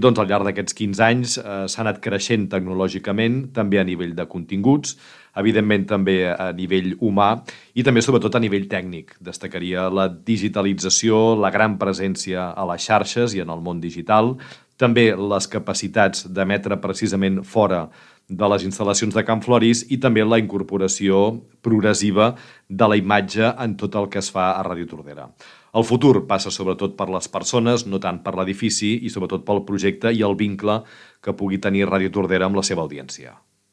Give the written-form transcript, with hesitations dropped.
Doncs al llarg d'aquests 15 anys s'ha anat creixent tecnològicament, també a nivell de continguts, evidentment també a nivell humà i també sobretot a nivell tècnic. Destacaria la digitalització, la gran presència a les xarxes i en el món digital, també les capacitats d'emetre precisament fora de les instal·lacions de Can Floris i també la incorporació progressiva de la imatge en tot el que es fa a Ràdio Tordera. El futur passa sobretot per les persones, no tant per l'edifici i sobretot pel projecte i el vincle que pugui tenir Ràdio Tordera amb la seva audiència.